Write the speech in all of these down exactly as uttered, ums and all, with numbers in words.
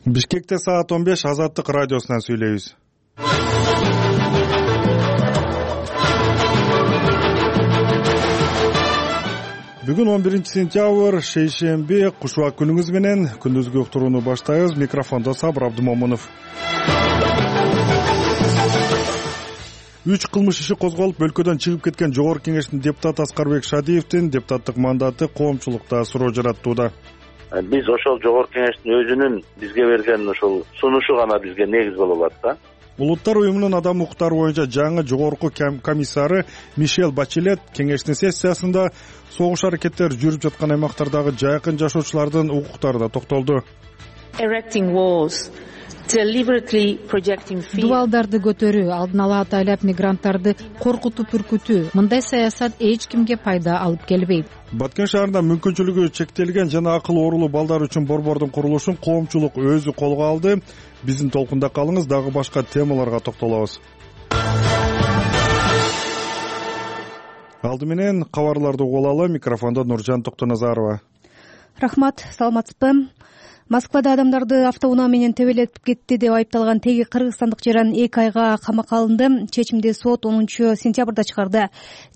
Бишкекте саат он беш Азаттык радиосунан сүйлөйбүз. Бүгүн он биринчи сентябрь, шейшемби, кушуак күнүңүз менен күндүзгү уктурууну баштайбыз. Микрофондо Сабыр Абдымомунов. Үч кылмыш иши козголуп, өлкөдөн чыгып кеткен Жогорку Кеңештин депутаты Аскарбек Шадиевдин депутаттык мандаты коомчулукта суроо жараттууда. Биз ошол Жогорку Кеңештин өзүнүн бизге берген ошол сунушу гана бизге негиз боло алат да. Улуттар уюмунун адам укуктары боюнча жаңы жогорку комиссары Мишель Бачелет кеңештин сессиясында согуш аракеттери жүрүп жаткан аймактардагы жайкын жашоочулардын укуктарына токтолду. Дубалдарды көтөрүү, алдын ала атайлап мигранттарды коркутуп үркүтүү, мындай саясат эч кимге пайда алып келбейт. Баткен шаарында мүмкүнчүлүгү чектелген жана акыл оорулуу балдар үчүн борбордун курулушун коомчулук өзү колго алды. Биздин толкунда калыңыз, дагы башка темаларга токтолобуз. Алды менен кабарларды угуп алалы. Микрофондо Нуржан Токтоназарова. Рахмат, саламатсызбы? Москвада адамдарды автоунаа менен тебелетип кетти деп айыпталган теги кыргызстандык жаран эки айга камакка алынды. Чечимди сот онунчу сентябрда чыгарды.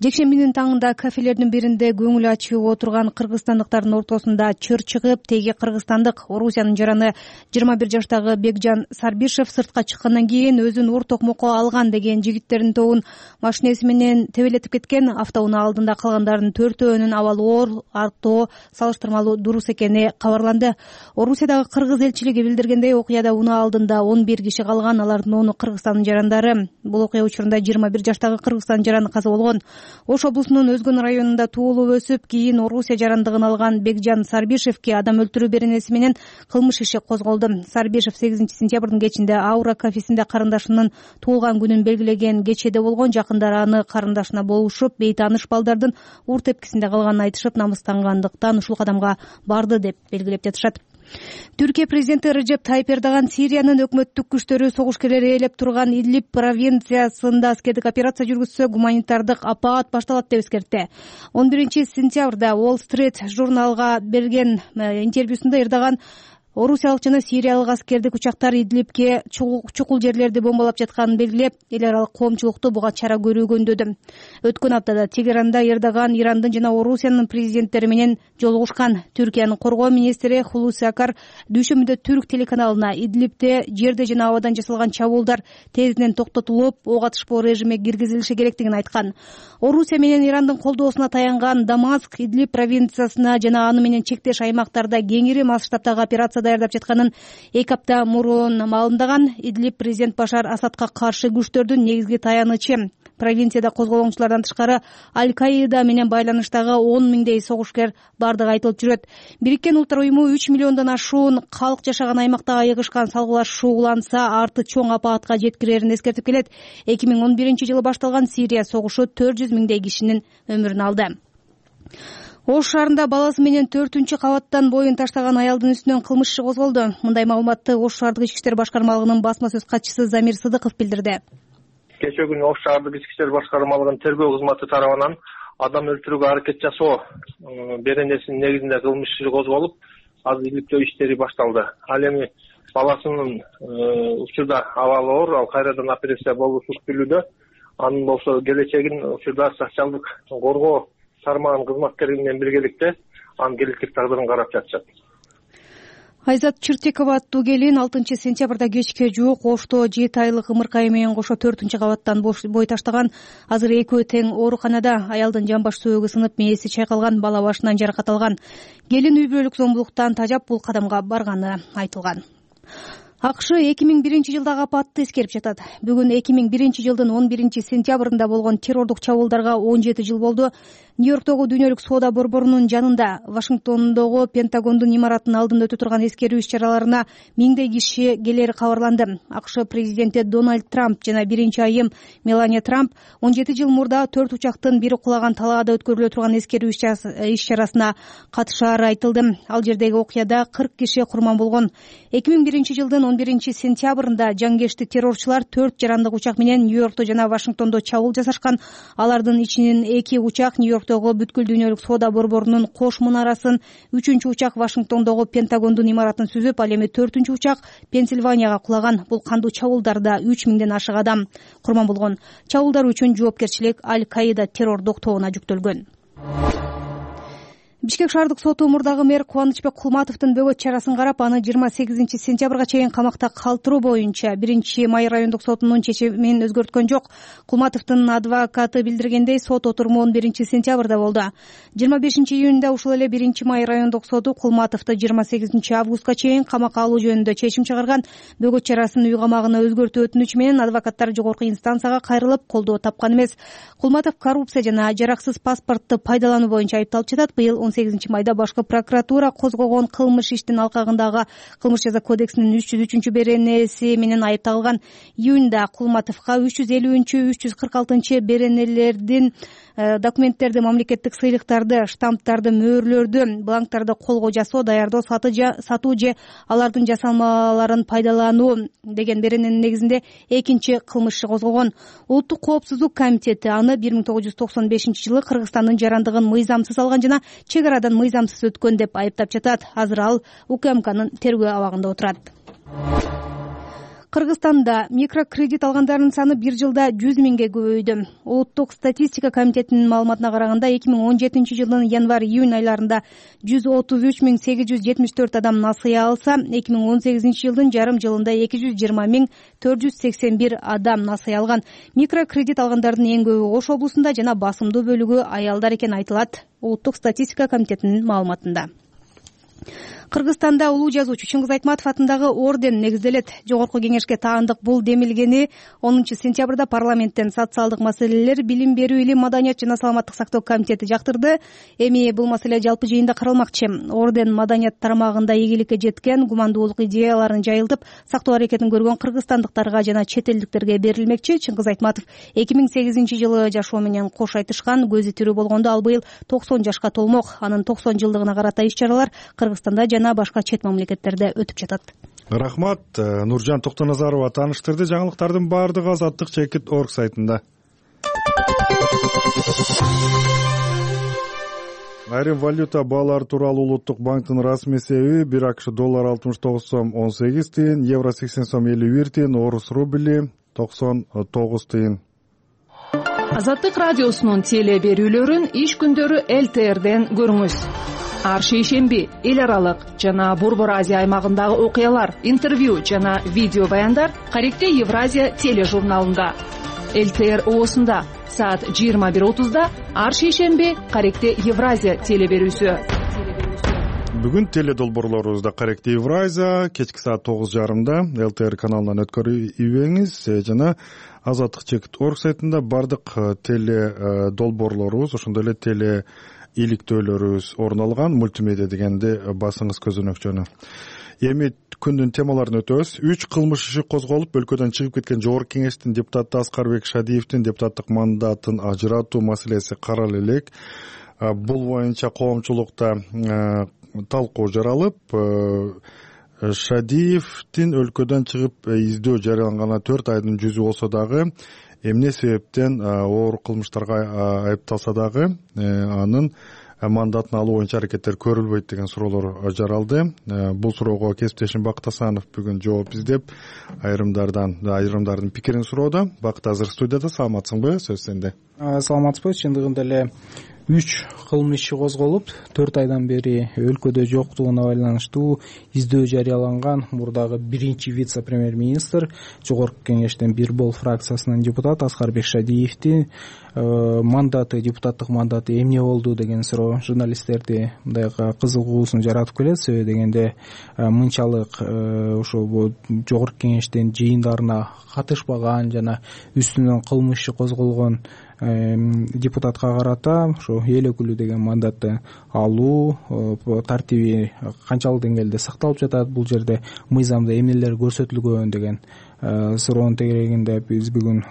Жекшембинин таңында кафелердин биринде көңүл ачып отурган кыргызстандыктардын ортосунда чыр чыгып, теги кыргызстандык Орусиянын жараны жыйырма бир жаштагы Бекжан Сарбишев сыртка чыккандан кийин өзүн ур токмокко алган деген жигиттердин тобун машинеси менен тебелетип кеткен. Автоунаа алдында калгандардын төртөөнүн абалы оор, артоо салыштырмалуу дурус экени кабарланды. Орусиядагы кыргыз элчилиги билдиргендей, окуяда унаа алдында он бир киши калган, алардын ону Кыргызстандын жарандары. Бул окуя учурунда жыйырма бир жаштагы Кыргызстандын жараны каза болгон. Ош облусунун Өзгөн районунда туулуп өсүп, кийин Орусия жарандыгын алган Бекжан Сарбишевке адам өлтүрүү беренеси менен кылмыш иши козголду. Сарбишев сегизинчи сентябрдын кечинде Аура кафесинде карындашынын туулган күнүн белгилеген кечеде болгон. Жакындары аны карындашына болушуп, бейтааныш балдардын ур тепкисинде калганын айтышып, намыстангандыктан ушул кадамга барды деп белгилеп жатышат. Түркия президенти Режеп Тайип Эрдоган Сириянын өкмөттүк күчтөрү согушкерлери ээлеп турган Идлиб провинциясында аскердик операция жүргүзсө, гуманитардык апаат башталат деп эскертти. он биринчи сентябрда Wall Street журналга берген интервьюсунда Эрдоган орусиялык жана сириялык аскердик учактар Идлибке чукул жерлерди бомбалап жатканын белгилеп, эл аралык коомчулукту буга чара көрүүгө үндөдү. Өткөн аптада Тегеранда Эрдоган Ирандын жана Орусиянын президенттери менен жолугушкан. Түркиянын коргоо министри Хулуси Акар дүйшөмбүдө Түрк телеканалына Идлибте жерде жана абадан жасалган чабуулдар тезинен токтотулуп, ок атышпоо режими киргизилиши керектигин айткан. Орусия менен Ирандын колдоосуна таянган Дамаск Идлиб провинциясына жана аны менен чектеш аймактарда кеңири масштабтагы операция даярдап жатканын эки апта мурун маалымдаган. Идлиб президент Башар Асадка каршы күчтөрдүн негизги таянычы. Провинцияда козголоңчулардан тышкары Аль-Каида менен байланыштагы он миңдей согушкер бардыгы айтылып жүрөт. Бириккен Улуттар уюму үч миллиондон ашуун калк жашаган аймакта айыгышкан салгылашуу уланса, арты чоң апаатка жеткирерин эскертип келет. эки миң он биринчи жылы башталган Сирия согушу төрт жүз миңдей кишинин өмүрүн алды. Ош шаарында баласы менен төртүнчү кабаттан боюн таштаган аялдын үстүнөн кылмыш иши козголду. Мындай маалыматты Ош шаардык ички иштер башкармалыгынын басма сөз катчысы Замир Сыдыков билдирди. Кечээ күнү Ош шаардык ички иштер башкармалыгынын тергөө кызматы тарабынан адам өлтүрүүгө аракет жасоо беренесинин негизинде кылмыш иши козголуп, азыр иликтөө иштери башталды. Ал эми баласынын учурда абалы оор, ал кайрадан операция болушу күтүлүүдө. Анын болсо келечегин учурда социалдык коргоо тармагынын кызматкери менен биргеликте анын келечек тагдырын карап жатышат. Айзат Чыртекова аттуу келин алтынчы сентябрда кечке жуук Ошто жети айлык ымыркайы менен кошо төртүнчү кабаттан бой таштаган. Азыр экөө тең ооруканада. Аялдын жамбаш сөөгү сынып, мээси чайкалган, бала башынан жаракат алган. Келин үй бүлөлүк зомбулуктан тажап бул кадамга барганы айтылган. АКШ эки миң биринчи жылдагы апатты эскерип жатат. Бүгүн эки миң биринчи жылдын он биринчи сентябрында болгон террордук чабуулдарга он жети жыл болду. Нью-Йорктогу дүйнөлүк соода борборунун жанында, Вашингтондогу Пентагондун имаратынын алдында өтө турган эскерүү иш-чараларына миңдей киши келери кабарланды. АКШ президенти Дональд Трамп жана биринчи айым Мелания Трамп он жети жыл мурда төрт учактын бири кулаган талаада өткөрүлө турган эскерүү иш-чарасына катышаары айтылды. Ал жердеги окуяда кырк киши курман болгон. эки миң биринчи жылдын он биринчи сентябрында жангештик террорчулар төрт жарандык учак менен Нью-Йоркто жана Вашингтондо чабуул жасашкан. Алардын ичинин эки учак Нью-Йорк Нью-Йорктогу бүткүл дүйнөлүк соода борборунун кош мунарасын, үчүнчү учак Вашингтондогу Пентагондун имаратын сүзүп, ал эми төртүнчү учак Пенсильванияга кулаган. Бул кандуу чабуулдарда үч миңден ашык адам курман болгон. Чабуулдар үчүн жоопкерчилик Аль-Каида террор докторуна жүктөлгөн. Бишкек шаардык соту мурдагы мэр Кубанычбек Кулматовдун бөгөт чарасын карап, аны жыйырма сегизинчи сентябрга чейин камакта калтыруу боюнча биринчи май райондук сотунун чечимин өзгөрткөн жок. Кулматовдун адвокаты билдиргендей, сот отуруму он биринчи сентябрда болду. жыйырма бешинчи июнда ушул эле биринчи май райондук соту Кулматовду жыйырма сегизинчи августка чейин камакка алуу жөнүндө чечим чыгарган. Бөгөт чарасын үй камагына өзгөртүү өтүнүчү менен адвокаттар жогорку инстанцияга кайрылып, колдоо тапкан эмес. Кулматов коррупция жана жараксыз паспортту пайдалануу боюнча айыпталып жатат. Быйыл он сегизинчи майда башкы прокуратура козгогон кылмыш иштин алкагындагы кылмыш жаза кодексинин үч жүз үчүнчү беренеси менен айып тагылган. Июнда Кулматовго үч жүз элүүнчү үч жүз кырк алтынчы беренелердин документтерди, мамлекеттик сыйлыктарды, штамптарды, мөөрлөрдү, бланктарды колго жасоо, даярдоо, сатуу же алардын жасалмаларын пайдалануу деген берененин негизинде экинчи кылмыш иши козгогон. Улуттук коопсуздук комитети аны бир миң тогуз жүз токсон бешинчи жылы Кыргызстандын жарандыгын мыйзамсыз алган жана чек арадан мыйзамсыз өткөн деп айыптап жатат. Азыр ал УКМКнын тергөө абагында отурат. Кыргызстанда микрокредит алгандардын саны бир жылда жүз миңге көбөйдү. Улуттук статистика комитетинин маалыматына караганда, эки миң он жетинчи жылдын январь-июнь айларында жүз отуз үч миң сегиз жүз жетимиш төрт адам насыя алса, эки миң он сегизинчи жылдын жарым жылында эки жүз жыйырма миң төрт жүз сексен бир адам насыя алган. Микрокредит алгандардын эң көбү Ош облусунда жана басымдуу бөлүгү аялдар экени айтылат Улуттук статистика комитетинин маалыматында. Кыргызстанда улуу жазуучу Чыңгыз Айтматов атындагы орден негизделет. Жогорку кеңешке таандык бул демилгени онунчу сентябрда парламенттен социалдык маселелер, билим берүү, илим, маданият жана саламаттык сактоо комитети жактырды. Эми бул маселе жалпы жыйында каралмакчы. Орден маданият тармагында ийгиликке жеткен, гумандуулук идеяларын жайылтып, сактоо аракетин көргөн кыргызстандыктарга жана чет элдиктерге берилмекчи. Чыңгыз Айтматов эки миң сегизинчи жылы жашоо менен кош айтышкан, көзү тирүү болгондо ал быйыл токсон жашка толмок. Анын токсон жылдыгына карата иш-чаралар Кыргызстанда жана башка чет мамлекеттерде өтүп жатат. Рахмат. Нуржан Токтоназарова тааныштырды. Жаңылыктардын баардыгы азаттык чекит орг сайтында. Айрым валюта баалары тууралуу Улуттук банктын расмий эсеби: бир акш доллар алтымыш тогуз сом он сегиз тыйын, евро сексен сом элүү бир тыйын, орус рубли токсон тогуз тыйын. Азаттык радиосунун теле берүүлөрүн иш күндөрү эл тэ эрден көрүңүз. Ар шейшемби эл аралык жана Борбор Азия аймагындагы окуялар, интервью жана видео баяндар Каректе Евразия тележурналында. эл тэ эр оосунда саат жыйырма бир отузда ар шейшемби Каректе Евразия теле берүүсү. Бүгүн теле долбоорлорубузда Каректе Евразия кечки саат тогуз жарымда эл тэ эр каналынан өткөрүбеңиз жана азаттык чекит орг сайтында бардык теле долбоорлорубуз, ошондой эле теле иликтөөлөрүбүз орун алган. Мультимедиа дегенде басыңыз көзөнөкчөнү. Эми күндүн темаларын өтөбүз. Үч кылмыш иши козголуп, өлкөдөн чыгып кеткен Жогорку кеңештин депутаты Аскарбек Шадиевдин депутаттык мандатын ажыратуу маселеси каралып элек. Бул боюнча коомчулукта талкуу жаралып, Шадиевдин өлкөдөн чыгып издөө жарыяланганы төрт айдын жүзү болсо дагы, эмне себептен оор кылмыштарга айыпталса дагы анын мандатын алуу боюнча аракеттер көрүлбөйт деген суроолор жаралды. Бул суроого кесиптешим Бакыт Асанов бүгүн жооп издеп, айрымдардан айрымдардын пикирин суроодо. Бакыт азыр студияда. Саламатсыңбы? Сөз сенде. Саламатсызбы? Чындыгында эле үч кылмыш иши козголуп, төрт айдан бери өлкөдө жоктугуна байланыштуу издөө жарыяланган мурдагы биринчи вице-премьер-министр, Жогорку кеңештин бир бол фракциясынын депутаты Аскарбек Шадиевдин мандаты, депутаттык мандаты эмне болду деген суроо журналисттерди мындай кызыгуусун жаратып келет. Себеби дегенде мынчалык ошо Жогорку кеңештин жыйындарына катышпаган жана үстүнөн кылмыш иши козголгон депутатка карата ошо эл өкүлү деген мандатты алуу тартиби канчалык деңгээлде сакталып жатат, бул жерде мыйзамда эмнелер көрсөтүлгөн деген суроонун тегерегинде биз бүгүн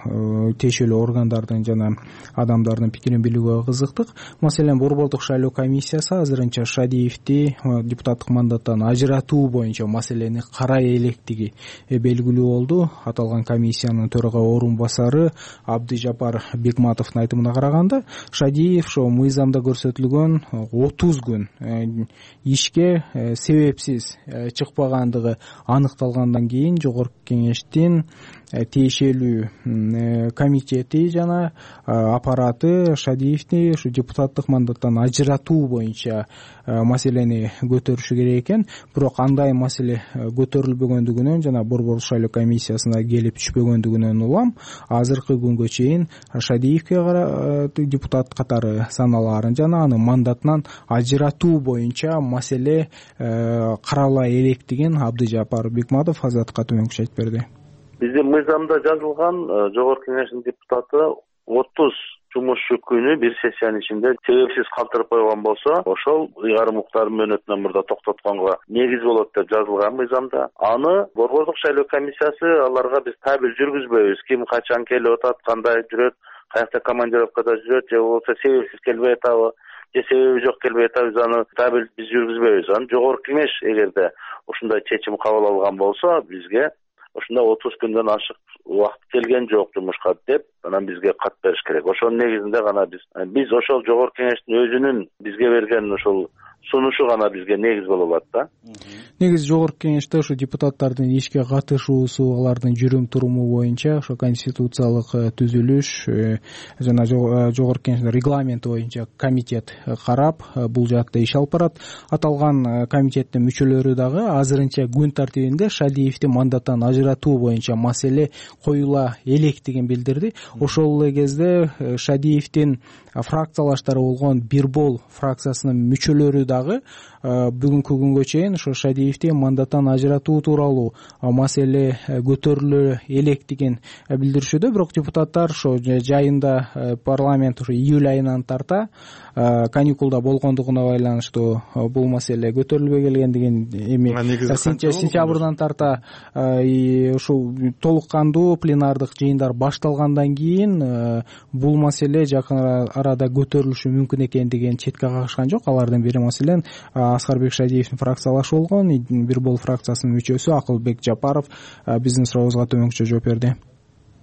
тиешелүү органдардын жана адамдардын пикирин билүүгө кызыктык. Маселен, Борбордук шайлоо комиссиясы азырынча Шадиевди депутаттык мандаттан ажыратуу боюнча маселени карай электиги белгилүү болду. Аталган комиссиянын төрага орун басары Абдыжапар Бекматов Бикматовдун айтымына караганда Шадиев ошо мыйзамда көрсөтүлгөн отуз күн ишке себепсиз чыкпагандыгы аныкталгандан кийин жогорку кеңештин тиешелүү комитети жана аппараты Шадиевди ушу депутаттык мандаттан ажыратуу боюнча маселени көтөрүшү керек экен. Бирок андай маселе көтөрүлбөгөндүгүнөн жана Борбордук шайлоо комиссиясына келип түшпөгөндүгүнөн улам азыркы күнгө чейин Шадиевге депутат катары саналаарын жана аны мандатынан ажыратуу боюнча маселе карала электигин Абдыжаппар Бикматов Азаттыкка төмөнкүчө айтып берди. Биздин мыйзамда жазылган жогорку кеңештин депутаты отуз жумушчу күнү бир сессиянын ичинде себепсиз калтырып койгон болсо, ошол ыйгарым укуктардын мөөнөтүнөн мурда токтотконго негиз болот деп жазылган мыйзамда. Аны Борбордук шайлоо комиссиясы аларга биз табель жүргүзбөйбүз. Ким качан келип атат, кандай жүрөт, каякта командировкада жүрөт, же болбосо себепсиз келбей атабы, же себеби жок келбей атабы, аны табель биз жүргүзбөйбүз. Аны жогорку кеңеш эгерде ушундай чечим кабыл алган болсо, бизге ошондо отуз күндөн ашык убакыт келген жок жумушка деп, анан бизге кат бериш керек. Ошонун негизинде гана биз биз ошол жогорку кеңештин өзүнүн бизге берген ошол сунушу гана бизге негиз боло алат да. Негизи жогорку кеңеште ушу депутаттардын ишке катышуусу, алардын жүрүм туруму боюнча ошо конституциялык түзүлүш жана жогорку кеңештин регламенти боюнча комитет карап, бул жаатта иш алып барат. Аталган комитеттин мүчөлөрү дагы азырынча күн тартибинде Шадиевди мандаттан ажыратуу боюнча маселе коюла электигин билдирди. Ошол эле кезде Шадиевдин фракциялаштары болгон Бирбол фракциясынын мүчөлөрү дагы бүгүнкү күнгө чейин ошо Шадиевди мандаттан ажыратуу тууралуу маселе көтөрүлө электигин билдиришүүдө. Бирок депутаттар ошо жайында парламент ошо июль айынан тарта каникулда болгондугуна байланыштуу бул маселе көтөрүлбөй келгендигин, эми сентябрдан тарта ушул толук кандуу пленардык жыйындар башталгандан кийин бул маселе жакын арада көтөрүлүшү мүмкүн экендигин четке кагышкан жок. Алардын бири маселен Аскарбек Шадиевдин фракциялашы болгон Бирбол фракциясынын мүчөсү Акылбек Жапаров биздин сурообузга төмөнкүчө жооп берди.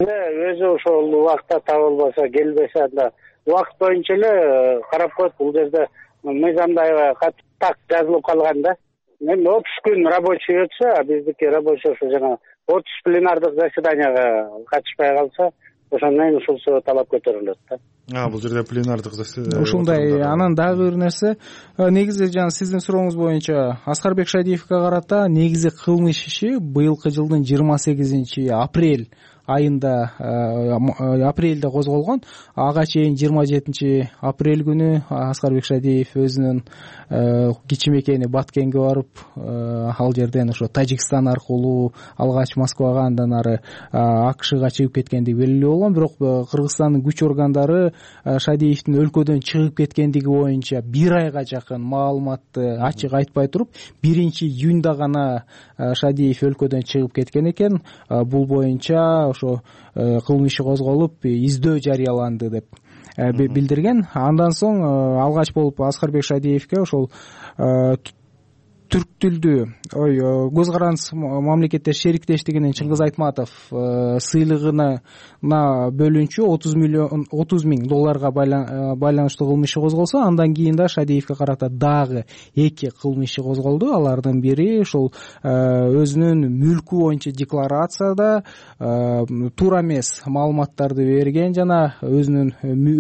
Өзү ошол убакта табылбаса, келбесе, анда убакыт боюнча эле карап коет. Бул жерде мыйзамда так жазылып калган да. Эми отуз күн рабочий өтсө, биздики рабочий ошо жана отуз пленардык заседанияга катышпай калса, ошондон кийин ушул талап көтөрүлөт да. А, бул жерде пленардык заседание. Ушундай. Анан дагы бир нерсе, негизи жана сиздин сурооңуз боюнча Аскарбек Шадиевге карата негизи кылмыш иши быйылкы жылдын жыйырма сегизинчи апрель айында апрелде козголгон. Ага чейин жыйырма жетинчи апрель күнү Аскарбек Шадиев өзүнүн кичимекени Баткенге барып, ал жерден ошо Тажикстан аркылуу алгач Москвага, андан ары АКШга чыгып кеткендиги белгилүү болгон. Бирок Кыргызстандын күч органдары Шадиевдин өлкөдөн чыгып кеткендиги боюнча бир айга жакын маалыматты ачык айтпай туруп, биринчи июнда гана Шадиев өлкөдөн чыгып кеткен экен. Бул боюнча ошо кылмыш иши козголуп, издөө жарыяланды деп билдирген. Андан соң алгач болуп Аскарбек Шадиевге ошол түрк тилдүү ой көз карандысыз мамлекеттер шериктештигинин Чыңгыз Айтматов сыйлыгына бөлүнчү отуз миллион отуз миң долларга байланыштуу кылмыш иши козголсо, андан кийин да Шадиевге карата дагы эки кылмыш иши козголду. Алардын бири ошол өзүнүн мүлкү боюнча декларацияда туура эмес маалыматтарды берген жана өзүнүн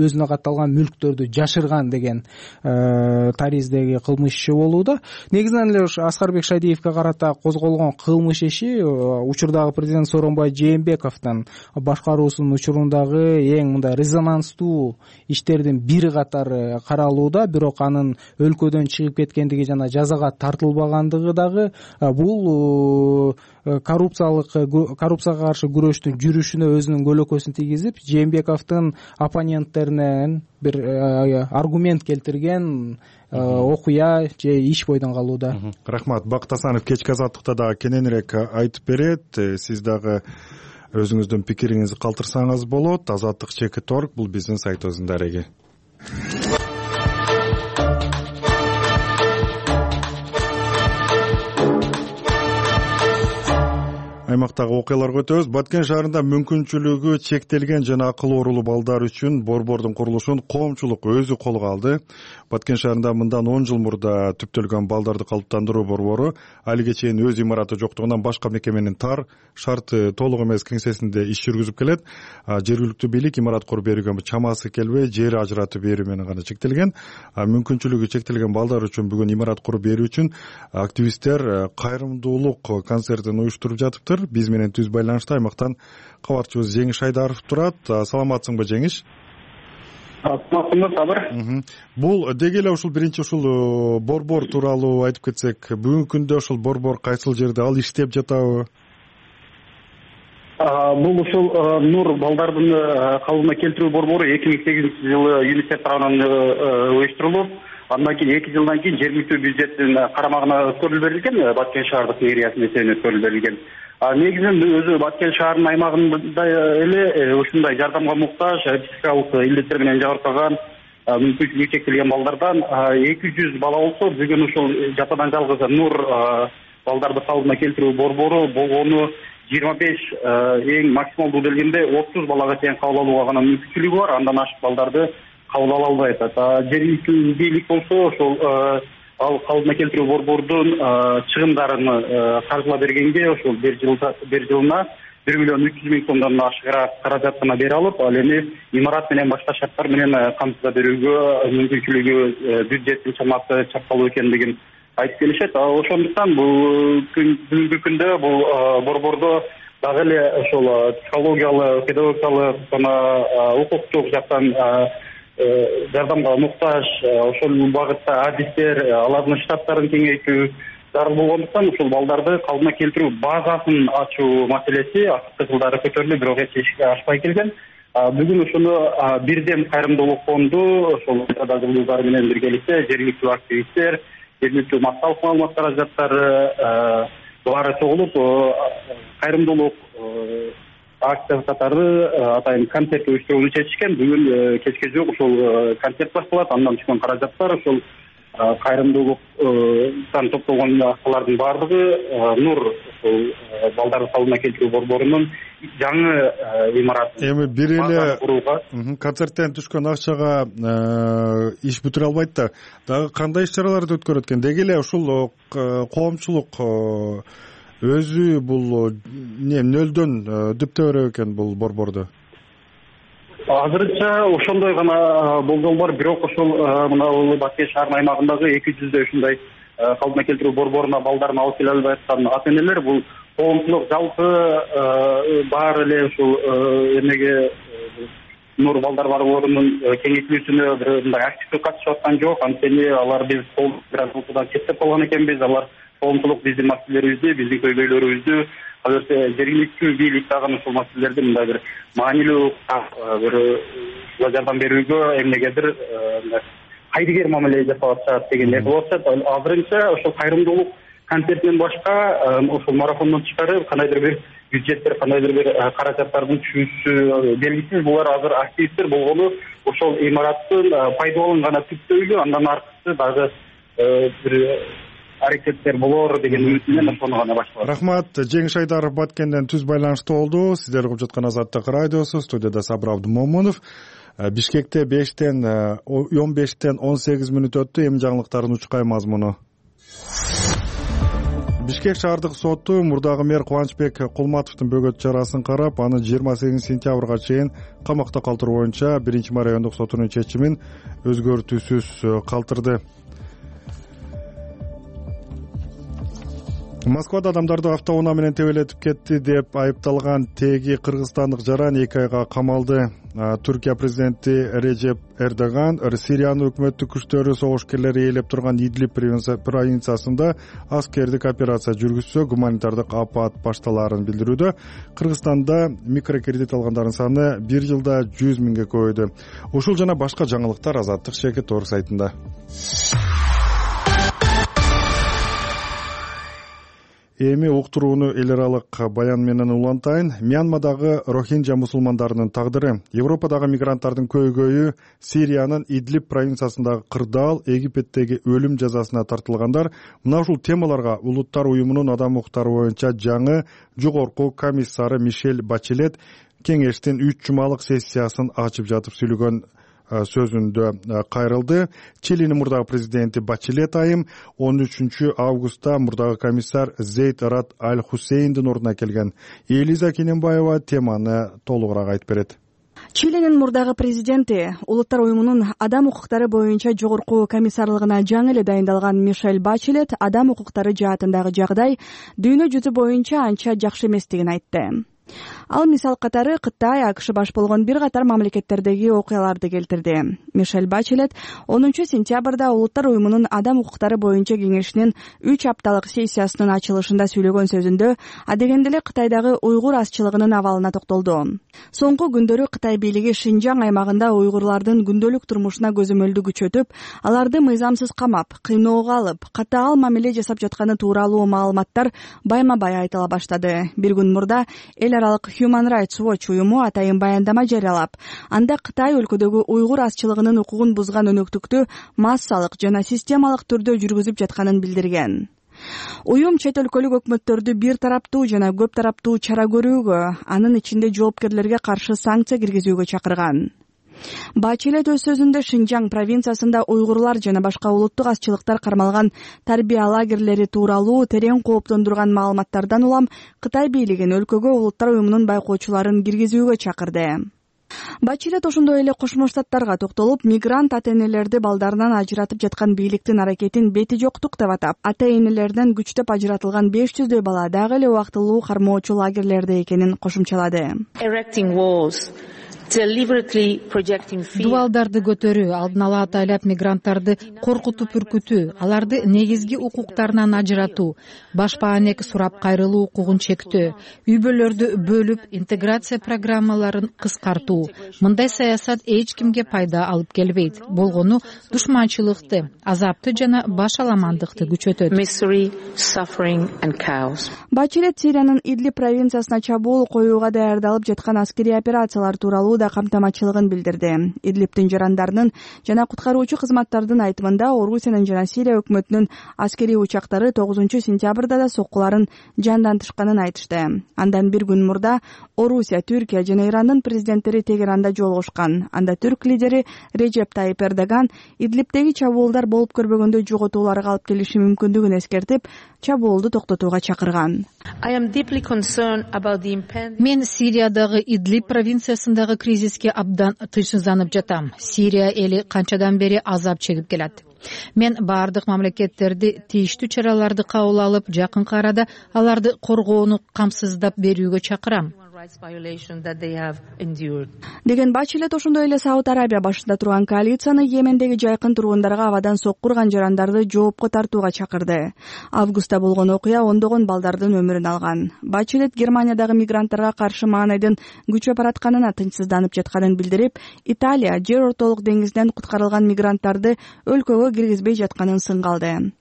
өзүнө катталган мүлктөрдү жашырган деген тариздеги кылмыш иши болууда. Негизинен эле Аскарбек Шадиевге карата козголгон кылмыш иши учурдагы президент Сооронбай Жээнбековдун башкаруусунун учурундагы эң мындай резонанстуу иштердин бири катары каралууда. Бирок анын өлкөдөн чыгып кеткендиги жана жазага тартылбагандыгы дагы бул коррупциялык коррупцияга каршы күрөштүн жүрүшүнө өзүнүн көлөкөсүн тийгизип, Жээнбековдун оппоненттеринен бир аргумент келтирген окуя же иш бойдон калууда. Рахмат. Бакыт Асанов кечки азаттыкта дагы кененирээк айтып берет. Сиз дагы өзүңүздүн пикириңизди калтырсаңыз болот. Азаттык чекит орг бул биздин сайтыбыздын дареги. аймактагы окуяларга өтөбүз. Баткен шаарында мүмкүнчүлүгү чектелген жана акыл оорулуу балдар үчүн борбордун курулушун коомчулук өзү колго алды. Баткен шаарында мындан он жыл мурда түптөлгөн балдарды калыптандыруу борбору алиге чейин өз имараты жоктугунан башка мекеменин тар, шарты толук эмес кеңсесинде иш жүргүзүп келет. Жергиликтүү бийлик имарат куруп берүүгө чамасы келбей, жер ажыратып берүү менен гана чектелген. Мүмкүнчүлүгү чектелген балдар үчүн бүгүн имарат куруп берүү үчүн активисттер кайрымдуулук концертин уюштуруп жатыптыр. Биз менен түз байланышта аймактан кабарчыбыз Жеңиш Айдаров турат. Саламатсыңбы, Жеңиш? Саламатсыңбы, Сабыр? Бул деги эле ушул биринчи ушул борбор тууралуу айтып кетсек, бүгүнкү күндө ушул борбор кайсыл жерде, ал иштеп жатабы? Бул ушул Нур балдардын калыбына келтирүү борбору эки миң сегизинчи жылы ЮНИСЕФ тарабынан уюштурулуп, андан кийин эки жылдан кийин жергиликтүү бюджеттин карамагына өткөрүлүп берилген, Баткен шаардык мэриясынын эсебинен өткөрүлүп берилген. Негизинен өзү Баткен шаарынын аймагында эле ушундай жардамга муктаж, психикалык илдеттер менен жабыркаган, мүмкүнчүлүгү чектелген балдардан эки жүз бала болсо, бүгүн ушул жападан жалгыз Нур балдарды калыбына келтирүү борбору болгону жыйырма беш, эң максималдуу келгенде отуз балага чейин кабыл алууга гана мүмкүнчүлүгү бар, андан ашык балдарды кабыл ала албайт. Жергиликтүү бийлик болсо ошол ал калыбына келтирүү борбордун чыгымдарын каржылап бергенге ошол бир жылда бир жылына бир миллион үч жүз миң сомдон ашыгыраак каражат гана бере алып, ал эми имарат менен башка шарттар менен камсызда берүүгө мүмкүнчүлүгү бюджеттин чамасы чапкалуу экендигин айтып келишет. Ошондуктан бул бүгүнкү күндө бул борбордо дагы эле ошол психологиялык, педагогикалык жана укуктук жактан жардамга муктаж ошол багытта адистер, алардын штаттарын кеңейтүү зарыл болгондуктан ушул балдарды калыбына келтирүү базасын ачуу маселеси акыркы жылдары көтөрүлүп, бирок эч ишке ашпай келген. Бүгүн ушуну Бирдем кайрымдуулук фонду ошол жылдары менен биргеликте жергиликтүү активисттер, жергиликтүү массалык маалымат каражаттары баары чогулуп кайрымдуулук акция катары атайын концерт уюштурууну чечишкен. Бүгүн кечке жок ушул концерт башталат. Андан түшкөн каражаттар ошол кайрымдуулуктан топтолгон акчалардын баардыгы Нур ошол балдарды калыбына келтирүү борборунун жаңы имаратын эми бир эле концерттен түшкөн акчага иш бүтүрө албайт да. Дагы кандай иш чараларды өткөрөт экен? Деги эле ушул коомчулук өзү бул эмне нөлдөн дүптө берет экен бул борборду? Азырынча ошондой гана болжол бар, бирок ошол мына Баткен шаарынын аймагындагы эки жүздөй ушундай калыбына келтирүү борборуна балдарын алып келе албай аткан ата энелер бул коомчулук жалпы баары эле ушул эмеге Нур балдар борборунун кеңейтилүүсүнө мындай активдүү катышып аткан жок. Анткени алар биз коомчулуктан четтеп калган экенбиз. Алар коомчулук биздин маселелерибизди, биздин көйгөйлөрүбүздү, азыркы жергиликтүү бийлик дагы ушул маселелерди мындай бир маанилүү бир жардам берүүгө эмнегедир кайдыгер мамиле жасап атышат дегендей болуп атат. Азырынча ошол кайрымдуулук концертинен башка ошол марафондон тышкары кандайдыр бир бюджеттер, кандайдыр бир каражаттардын түшүүсү белгисиз. Булар азыр активисттер болгону ошол имараттын пайдаланууну гана күттөйлү, андан аркысы дагы бир аракеттер болор деген үмүт менен ошону гана башталат. Рахмат. Жеңиш Айдаров Баткенден түз байланышта болду. Сиздер угуп жаткан Азаттык радиосу, студияда Сабыр Абдумомунов. Бишкекте бештен он бештен он сегиз мүнөт өттү. Эми жаңылыктардын учкай мазмуну. Бишкек шаардык соту мурдагы мэр Кубанычбек Кулматовдун бөгөт чарасын карап, аны жыйырма сегизинчи сентябрга чейин камакта калтыруу боюнча биринчи райондук сотунун чечимин өзгөртүүсүз калтырды. Москвада адамдарды автоунаа менен тебелетип кетти деп айыпталган теги кыргызстандык жаран эки айга камалды. Түркия президенти Режеп Эрдоган Сириянын өкмөттүк күчтөрү согушкерлери ээлеп турган Идлиб провинциясында аскердик операция жүргүзсө, гуманитардык апат башталаарын билдирүүдө. Кыргызстанда микрокредит алгандардын саны бир жылда жүз миңге көбөйдү. Ушул жана башка жаңылыктар Азаттык Шекет Орг сайтында. Эми уктурууну эл аралык баян менен улантайын. Мьянмадагы рохинджа мусулмандарынын тагдыры, Европадагы мигранттардын көйгөйү, Сириянын Идлиб провинциясындагы кырдаал, Египеттеги өлүм жазасына тартылгандар — мына ушул темаларга Улуттар уюмунун адам укуктары боюнча жаңы жогорку комиссары Мишель Бачелет кеңештин үч жумалык сессиясын ачып жатып сүйлөгөн сөзүндө кайрылды. Чилинин мурдагы президенти Бачелет айым он үчүнчү августта мурдагы комиссар Зейд Раад Аль Хусейндин ордуна келген. Элиза Кененбаева теманы толугураак айтып берет. Чилинин мурдагы президенти Улуттар уюмунун адам укуктары боюнча жогорку комиссарлыгына жаңы эле дайындалган Мишель Бачелет адам укуктары жаатындагы жагдай дүйнө жүзү боюнча анча жакшы эместигин айтты. Ал мисал катары Кытай, АКШ баш болгон бир катар мамлекеттердеги окуяларды келтирди. Мишель Бачелет онунчу сентябрда Улуттар уюмунун адам укуктары боюнча кеңешинин үч апталык сессиясынын ачылышында сүйлөгөн сөзүндө адегенде эле Кытайдагы уйгур азчылыгынын абалына токтолду. Соңку күндөрү Кытай бийлиги Шинжаң аймагында уйгурлардын күндөлүк турмушуна көзөмөлдү күчөтүп, аларды мыйзамсыз камап, кыйноого алып, катаал мамиле жасап жатканы тууралуу маалыматтар байма-бай айтыла баштады. Бир күн мурда эл аралык Human Rights Watch уюму атайын баяндама жарыялап, анда Кытай өлкөдөгү уйгур азчылыгынын укугун бузган өнөктүктү массалык жана системалык түрдө жүргүзүп жатканын билдирген. Уюм чет өлкөлүк өкмөттөрдү бир тараптуу жана көп тараптуу чара көрүүгө, анын ичинде жоопкерлерге каршы санкция киргизүүгө чакырган. Бачелет өз сөзүндө Шинжаң провинциясында уйгурлар жана башка улуттук азчылыктар кармалган тарбия лагерлери тууралуу терең кооптондурган маалыматтардан улам Кытай бийлигин өлкөгө Улуттар уюмунун байкоочуларын киргизүүгө чакырды. Бачелет ошондой эле Кошмо Штаттарга токтолуп, мигрант ата-энелерди балдарынан ажыратып жаткан бийликтин аракетин бети жоктук деп атап, ата-энелерден күчтөп ажыратылган беш жүздөй бала дагы эле убактылуу кармоочу лагерлерде экенин кошумчалады. Дубалдарды көтөрүү, алдын ала атайлап мигранттарды коркутуп үркүтүү, аларды негизги укуктарынан ажыратуу, баш баанек сурап кайрылуу укугун чектөө, үй-бүлөлөрдү бөлүп, интеграция программаларын кыскартуу. Мындай саясат эч кимге пайда алып келбейт. Болгону душманчылыкты, азапты жана баш аламандыкты күчөтөт. Бачелет Сириянын Идлиб провинциясына чабуул коюуга даярдалып жаткан аскерий операциялар тууралуу да камтамачылыгын билдирди. Идлибтин жарандарынын жана куткаруучу кызматтардын айтымында Орусиянын жана Сирия өкмөтүнүн аскерий учактары тогузунчу сентябрда да соккуларын жандантышканын айтышты. Андан бир күн мурда Орусия, Түркия жана Ирандын президенттери Тегеранда жолугушкан. Анда түрк лидери Режеп Тайип Эрдоган Идлибтеги чабуулдар болуп көрбөгөндө жоготууларга алып келиши мүмкүндүгүн эскертип, чабуулду токтотууга чакырган. Мен Сириядагы Идлиб провинциясындагы кризиске абдан тынчсызданып жатам. Сирия эли канчадан бери азап чегип келет. Мен баардык мамлекеттерди тийиштүү чараларды кабыл алып, жакынкы арада аларды коргоону камсыздап берүүгө чакырам. Деген Бачелет ошондой эле Сауд Арабия башында турган коалицияны Йемендеги жайкын тургундарга абадан сокку урган жарандарды жоопко тартууга чакырды. Августта болгон окуя ондогон балдардын өмүрүн алган. Бачелет Германиядагы мигранттарга каршы маанайдын күчөп баратканына тынчсызданып жатканын билдирип, Италия жер ортолук деңизден куткарылган мигранттарды өлкөгө киргизбей жатканын сынга алды.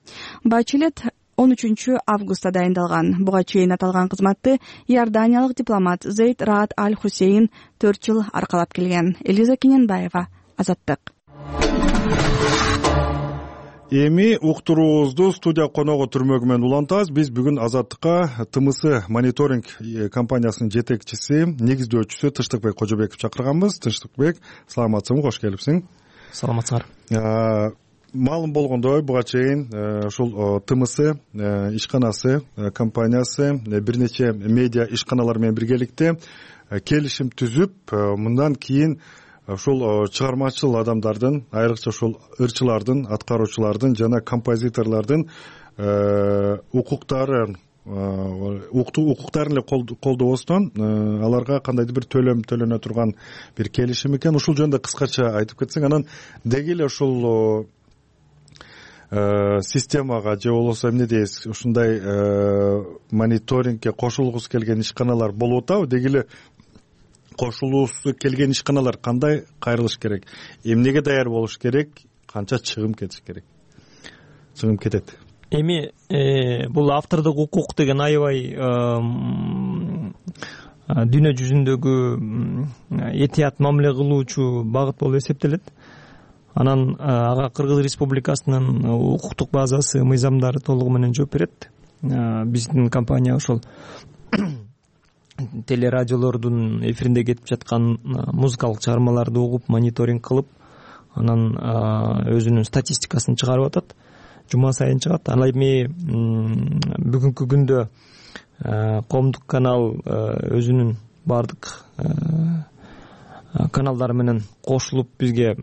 Бачелет он үчүнчү августта дайындалган. Буга чейин аталган кызматты иорданиялык дипломат Зейд Раад Аль Хусейн төрт жыл аркалап келген. Элиза Кененбаева, Азаттык. Эми уктуруубузду студия коногу түрмөгү менен улантабыз. Биз бүгүн Азаттыкка ТМС мониторинг компаниясынын жетекчиси, негиздөөчүсү Тынчтыкбек Кожобеков чакырганбыз. Тынчтыкбек, саламатсызбы, кош келипсиң. Саламатсыздар. Маалым болгондой, буга чейин ушул ТМС ишканасы компаниясы бир нече медиа ишканалар менен биргеликте келишим түзүп, мындан кийин ушул чыгармачыл адамдардын, айрыкча ушул ырчылардын, аткаруучулардын жана композиторлордун укуктары укуктарын эле колдобостон аларга кандайдыр бир төлөм төлөнө турган бир келишим экен. Ушул жөнүндө кыскача айтып кетсең, анан деги эле ушул системага же болбосо эмне дейбиз, ушундай мониторингке кошулгусу келген ишканалар болуп атабы? Деги эле кошулуусу келген ишканалар кандай кайрылыш керек, эмнеге даяр болуш керек, канча чыгым кетиш керек, чыгым кетет? эми бул автордук укук деген аябай дүйнө жүзүндөгү этият мамиле кылуучу багыт болуп эсептелет. Анан ага Кыргыз Республикасынын укуктук базасы, мыйзамдары толугу менен жооп берет. Биздин компания ошол телерадиолордун эфиринде кетип жаткан музыкалык чыгармаларды угуп, мониторинг кылып, анан өзүнүн статистикасын чыгарып атат. Жума сайын чыгат. Ал эми бүгүнкү күндө коомдук канал өзүнүн баардык каналдары менен кошулуп бизге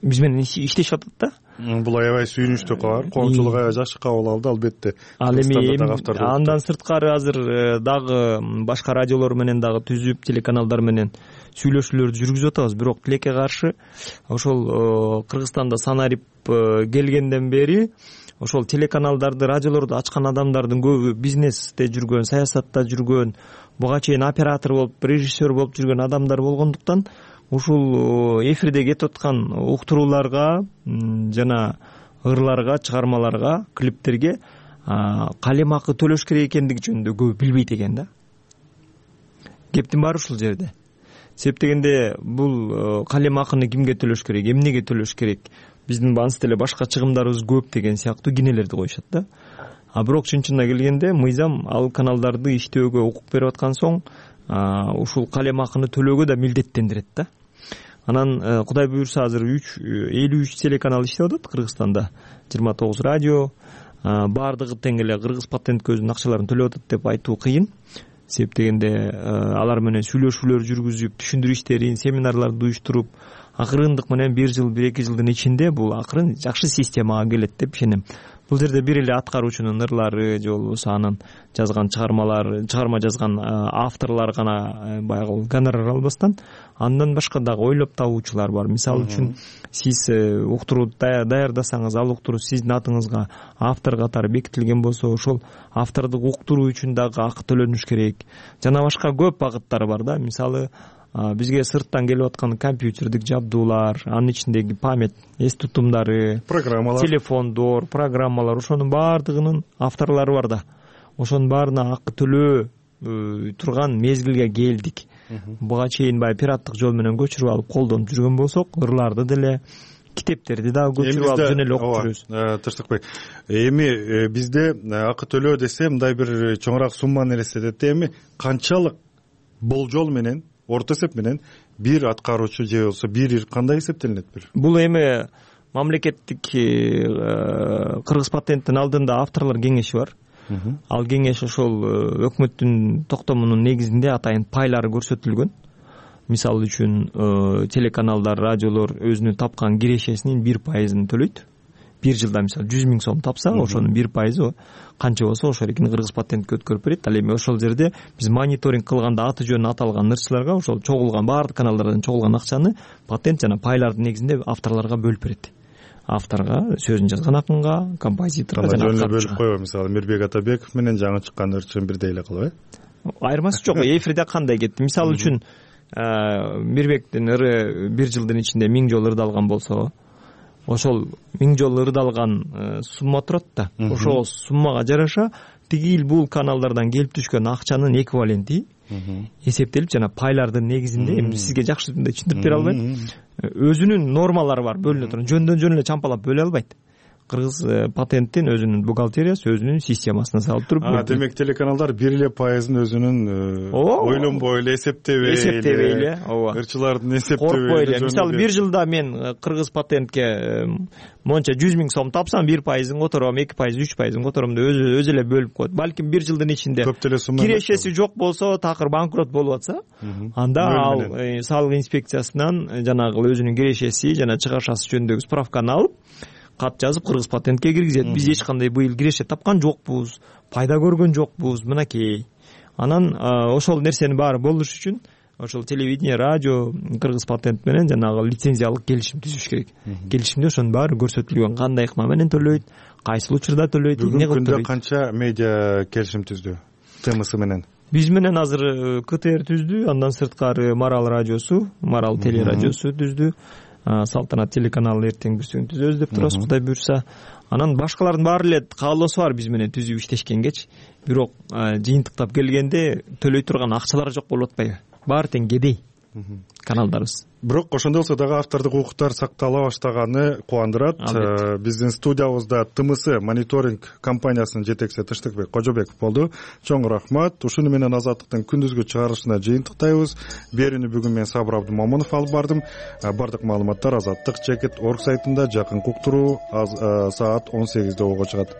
биз менен иштешип атат да. Бул аябай сүйүнүчтүү кабар. Коомчулук аябай жакшы кабыл алды, албетте. Ал эми андан сырткары азыр дагы башка радиолор менен дагы түзүп, телеканалдар менен сүйлөшүүлөрдү жүргүзүп атабыз. Бирок тилекке каршы ошол Кыргызстанда санарип келгенден бери ошол телеканалдарды, радиолорду ачкан адамдардын көбү бизнесте жүргөн, саясатта жүргөн, буга чейин оператор болуп, режиссер болуп жүргөн адамдар болгондуктан ушул эфирде кетип аткан уктурууларга жана ырларга, чыгармаларга, клиптерге калем акы төлөш керек экендиги жөнүндө көбү билбейт экен да. Кептин баары ушул жерде. Себеп дегенде бул калем акыны кимге төлөш керек, эмнеге төлөш керек, биздин ансы деле башка чыгымдарыбыз көп деген сыяктуу кинелерди коюшат да. А бирок чын-чынына келгенде мыйзам ал каналдарды иштөөгө укук берип аткан соң ушул калем акыны төлөөгө да милдеттендирет да. Анан Кудай буйрса азыр элүү үч телеканал иштеп атат Кыргызстанда, жыйырма тогуз радио, баардыгы тең эле Кыргыз патентке өзүнүн акчаларын төлөп атат деп айтуу кыйын. Себеп дегенде алар менен сүйлөшүүлөр жүргүзүп, түшүндүрүү иштерин, семинарларды уюштуруп, акырындык менен бир жыл, бир эки жылдын ичинде бул акырын жакшы системага келет деп ишенем. Бул жерде бир эле аткаруучунун ырлары же болбосо анын жазган чыгармалар, чыгарма жазган авторлор гана баягы гонорар албастан, андан башка дагы ойлоп табуучулар бар. Мисалы үчүн сиз уктурууну даярдасаңыз, ал уктуруу сиздин атыңызга автор катары бекитилген болсо, ошол автордук уктуруу үчүн дагы акы төлөнүш керек. Жана башка көп багыттар бар да. Мисалы бизге сырттан келип аткан компьютердик жабдуулар, анын ичиндеги память, эс тутумдары, программалар, телефондор, программалар, ошонун баардыгынын авторлору бар да. Ошонун баарына акы төлөө турган мезгилге келдик. Буга чейин баягы пираттык жол менен көчүрүп алып колдонуп жүргөн болсок, ырларды деле, китептерди дагы көчүрүп алып жөн эле окуп жүрөбүз. Тынчтыкбек, эми бизде акы төлөө десе мындай бир чоңураак сумманы элестетет. Эми канчалык болжол менен, орто эсеп менен бир аткаруучу же болбосо бир ир кандай эсептелинет бир? Бул эми мамлекеттик Кыргыз патенттин алдында авторлор кеңеши бар. Ал кеңеш ошол өкмөттүн токтомунун негизинде атайын пайлары көрсөтүлгөн. Мисалы үчүн телеканалдар, радиолор өзүнүн тапкан кирешесинин бир пайызын төлөйт. Бир жылда мисалы жүз миң сом тапса, ошонун бир пайызы канча болсо ошол эркин Кыргыз патентке өткөрүп берет. Ал эми ошол жерде биз мониторинг кылганда аты жөнү аталган ырчыларга ошол чогулган баардык каналдардан чогулган акчаны патент жана пайлардын негизинде авторлорго бөлүп берет. Авторго, сөзүн жазган акынга, композиторго жана жөн эле бөлүп койбойбу? Мисалы Мирбек Атабеков менен жаңы чыккан ырчын бирдей эле кылып, э? Айырмасы жок. Эфирде кандай кетти? Мисалы үчүн Мирбектин ыры бир жылдын ичинде миң жолу ырдалган болсо, ошол миң жолу ырдалган сумма турат да. Ошол суммага жараша тигил бул каналдардан келип түшкөн акчанын эквиваленти эсептелип жана пайлардын негизинде, эми сизге жакшы мындай түшүндүрүп бере албайм. Өзүнүн нормалары бар, бөлүнө турган. Жөндөн жөн эле чампалап бөлө албайт. Кыргыз патенттин өзүнүн бухгалтериясы, өзүнүн системасына салып туруп. А, демек телеканалдар бир эле пайызын өзүнүн ойлонбой эле, эсептебей эле, эсептебей эле, ооба. Ырчылардын эсептебей эле. Мисалы бир жылда мен Кыргыз патентке монча жүз миң сом тапсам, бир пайызын котором, эки пайыз, үч пайызын котором деп өзү өзү эле бөлүп коет. Балким бир жылдын ичинде кирешеси жок болсо, такыр банкрот болуп атса, анда ал салык инспекциясынан жанагы өзүнүн кирешеси жана чыгашасы жөнүндөгү справканы алып, кат жазып Кыргыз патентке киргизет. Биз эч кандай быйыл киреше тапкан жокпуз, пайда көргөн жокпуз, мынакей. Анан ошол нерсенин баары болуш үчүн ошол телевидение, радио Кыргыз патент менен жанагы лицензиялык келишим түзүш керек. Келишимде ошонун баары көрсөтүлгөн, кандай ыкма менен төлөйт, кайсыл учурда төлөйт, эмне кылып төлөйт. Бүгүнкү күндө канча медиа келишим түздү ТМС менен? Биз менен азыр КТР түздү, андан сырткары Марал радиосу, Марал телерадиосу түздү. Салтанат телеканалы эртең бүрсүгүн түзөбүз деп турабыз, Кудай буйрса. анан башкалардын баары эле каалоосу бар биз менен түзүп иштешкенгечи, бирок жыйынтыктап келгенде төлөй турган акчалар жок болуп атпайбы, баары тең кедей каналдарыбыз. Бирок ошондой болсо дагы автордук укуктар сактала баштаганы кубандырат. Биздин студиябызда Т М С мониторинг компаниясынын жетекчиси Тыштыкбек Кожобеков болду. Чоң рахмат. Ушуну менен Азаттыктын күндүзгү чыгарылышына жыйынтыктайбыз. Берүүнү бүгүн мен Сабыр Абдымомунов алып бардым. Бардык маалыматтар азаттык чекит орг сайтында жакынкы уктуруу саат он сегизде ого чыгат.